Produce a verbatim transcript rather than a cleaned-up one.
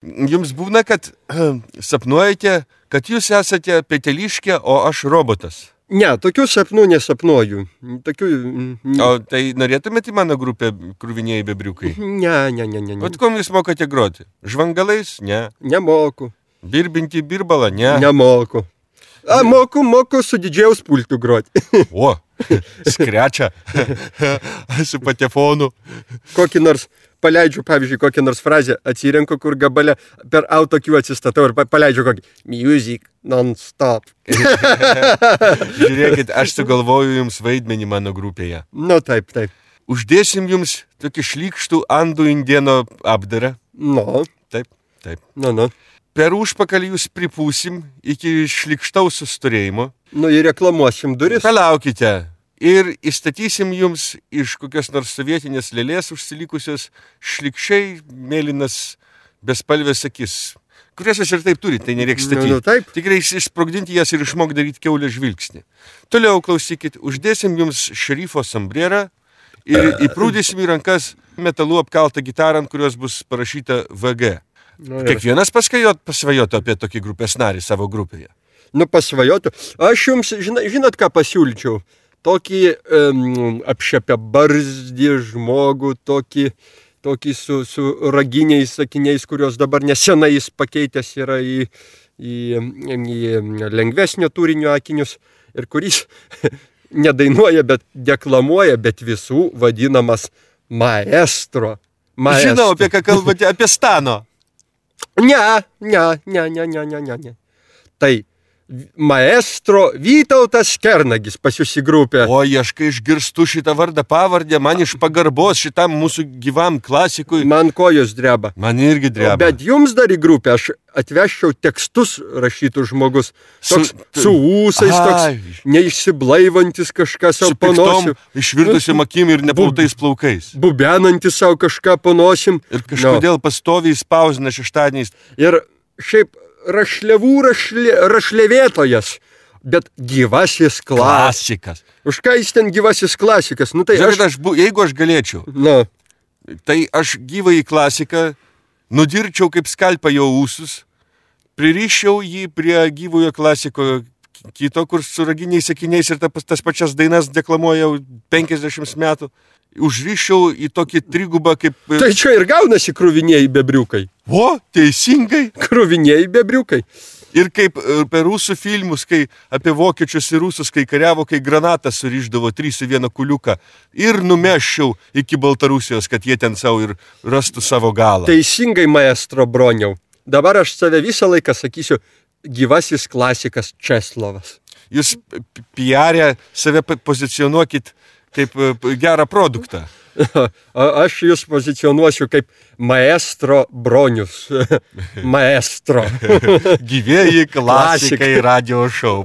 Jums būna, kad sapnuojate, kad jūs esate peteliškė, o aš robotas. Ne, tokių sapnų nesapnuoju. Tokių... O tai norėtumėte į mano grupę Kruviniai bebriukai? Ne, ne, ne, ne. Vat kom jūs mokate groti? Žvangalais? Ne. Nemoku. Birbinti birbalą? Ne. Nemoku. A, moku, moku su didžiaus pultu groti. O, skrečia su patefonu. Kokį nors paleidžiu, pavyzdžiui, kokią nors frazę, atsirenku, kur gabale per autokių atsistatau ir paleidžiu kokį music non-stop. Žiūrėkit, aš sugalvoju jums vaidmenį mano grupėje. Nu, taip, taip. Uždėsim jums tokį šlykštų andų indieno apdarą. Nu. Taip, taip. Nu, nu. Per užpakalį jūs pripūsim iki šlykštaus susturėjimo. Nu, ir reklamuosim duris. Palaukite. Ir įstatysim jums iš kokios nors sovietinės lėlės užsilikusios šlikščiai mėlynas bespalvės akis, kurias jūs ir taip turite, tai nereiks statyti. Nu, nu, taip. Tik reiks išsprogdinti jas ir išmok daryti kiaulę žvilgsnį. Toliau klausykit, uždėsim jums šerifo sombrerą ir įprūdysim į rankas metalu apkaltą gitarą, ant kurios bus parašyta V G. Nu, Kiekvienas paskajot, pasvajotų apie tokį grupės narį savo grupėje. Nu, pasvajotų. Aš jums, žinot, žinot ką pasiūlyčiau? Tokį um, apšepę barzdį žmogų, tokį, tokį su, su raginiais sakiniais, kurios dabar nesenai jis pakeitęs yra į, į, į lengvesnio turinio akinius ir kuris nedainuoja, bet deklamuoja, bet visų vadinamas maestro. maestro. Žinau, apie ką kalbate, apie Stano. Ne, ne, ne, ne, ne, ne, ne, ne. Tai maestro Vytautas Kernagis pas jūs į grupę. O, aš kai išgirstu šitą vardą pavardę, man iš pagarbos šitam mūsų gyvam klasikui. Man kojos dreba. Man irgi dreba. Bet jums dar į grupę aš atvežčiau tekstus rašytų žmogus. Toks su, su ūsais, toks neišsiblaivantis kažkas savo panosim. Išvirtusiam akim ir neplautais plaukais. Bubenantis savo kažką panosim. Ir kažkodėl no. pastoviai spausina šeštadieniais. Ir šiaip rašliavų rašlė, rašlėvėtojas, bet gyvasis klasikas. Už ką jis ten gyvasis klasikas? Nu, tai Žiūrėk, aš... aš, jeigu aš galėčiau, no. tai aš gyvąjį klasiką nudirčiau kaip skalpą jo ūsus, pririščiau jį prie gyvojo klasiko kito, kur su raginiais sakiniais ir ta, tas pačias dainas deklamuoja jau penkiasdešimt metų. Užriščiau į tokį trigubą kaip... Tai čia ir gaunasi kruviniai bebriukai. O, teisingai. Kruviniai bebriukai. Ir kaip per rusų filmus, kai apie vokiečius ir rusus, kai kariavo, kai granatą surišdavo trys į vieną kuliuką. Ir numeščiau iki Baltarusijos, kad jie ten savo ir rastų savo galą. Teisingai, maestro Broniau. Dabar aš save visą laiką sakysiu gyvasis klasikas Česlovas. Jūs piarę save pozicionuokit kaip gerą produktą. Aš jūs pozicionuosiu kaip maestro Bronius. Maestro. Gyvieji klasikai radio šou.